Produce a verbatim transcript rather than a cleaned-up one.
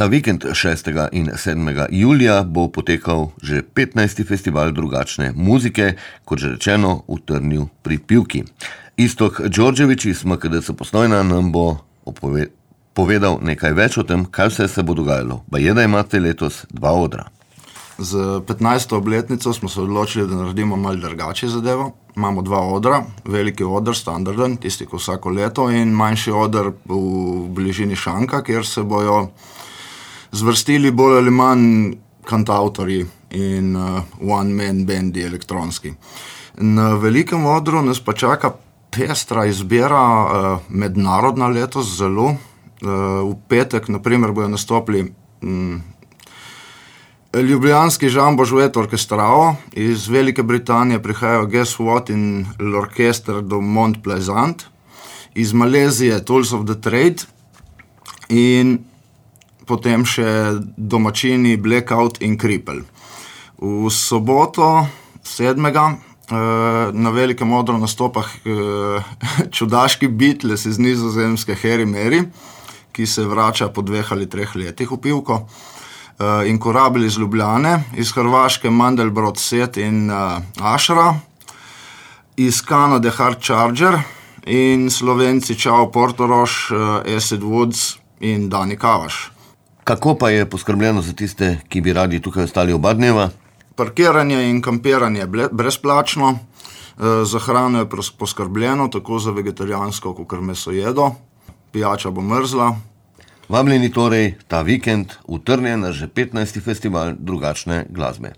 Ta vikend šestega in sedmega julija bo potekal že petnajsti festival drugačne muzike, kot že rečeno, v Trnju pri Pivki. Iztok Đorđević iz M K D C Postojna nam bo opove- povedal nekaj več o tem, kaj vse se bo dogajalo. Baje, da imate letos dva odra. Z petnajsto obletnico smo se odločili, da naredimo malo drugače zadevo. Imamo dva odra, veliki oder, standarden, tisti, ko vsako leto, in manjši oder v bližini Šanka, kjer se bojo zvrstili bolj ali manj kantavtorji in uh, one-man bendi elektronski. Na velikem odru nas pa čaka pestra izbira, uh, mednarodna letos zelo. Uh, v petek, na primer, bojo nastopili um, ljubljanski Žambo Žuet orkestrao, iz Velike Britanije prihajajo Guess What in l'Orchestre do Mont Pleasant, iz Malezije Tools of the Trade in potem še domačini Blackout in Cripple. V soboto sedmega na velikem odru nastopa čudaški Beatles iz Nizozemske Harry Mary, ki se vrača po dveh ali treh letih v Pivko, in Korabil iz Ljubljane, iz Hrvaške Mandelbrot Set in Ashra, iz Kanade Hard Charger in Slovenci Čao Portorož, Acid Woods in Dani Kavaš. Kako pa je poskrbljeno za tiste, ki bi radi tukaj ostali oba dneva? Parkiranje in kampiranje brezplačno, za hrano je poskrbljeno, tako za vegetarijansko, kakor mesojedo, pijača bo mrzla. Vabljeni torej ta vikend v Trnje na že petnajsti festival drugačne glasbe.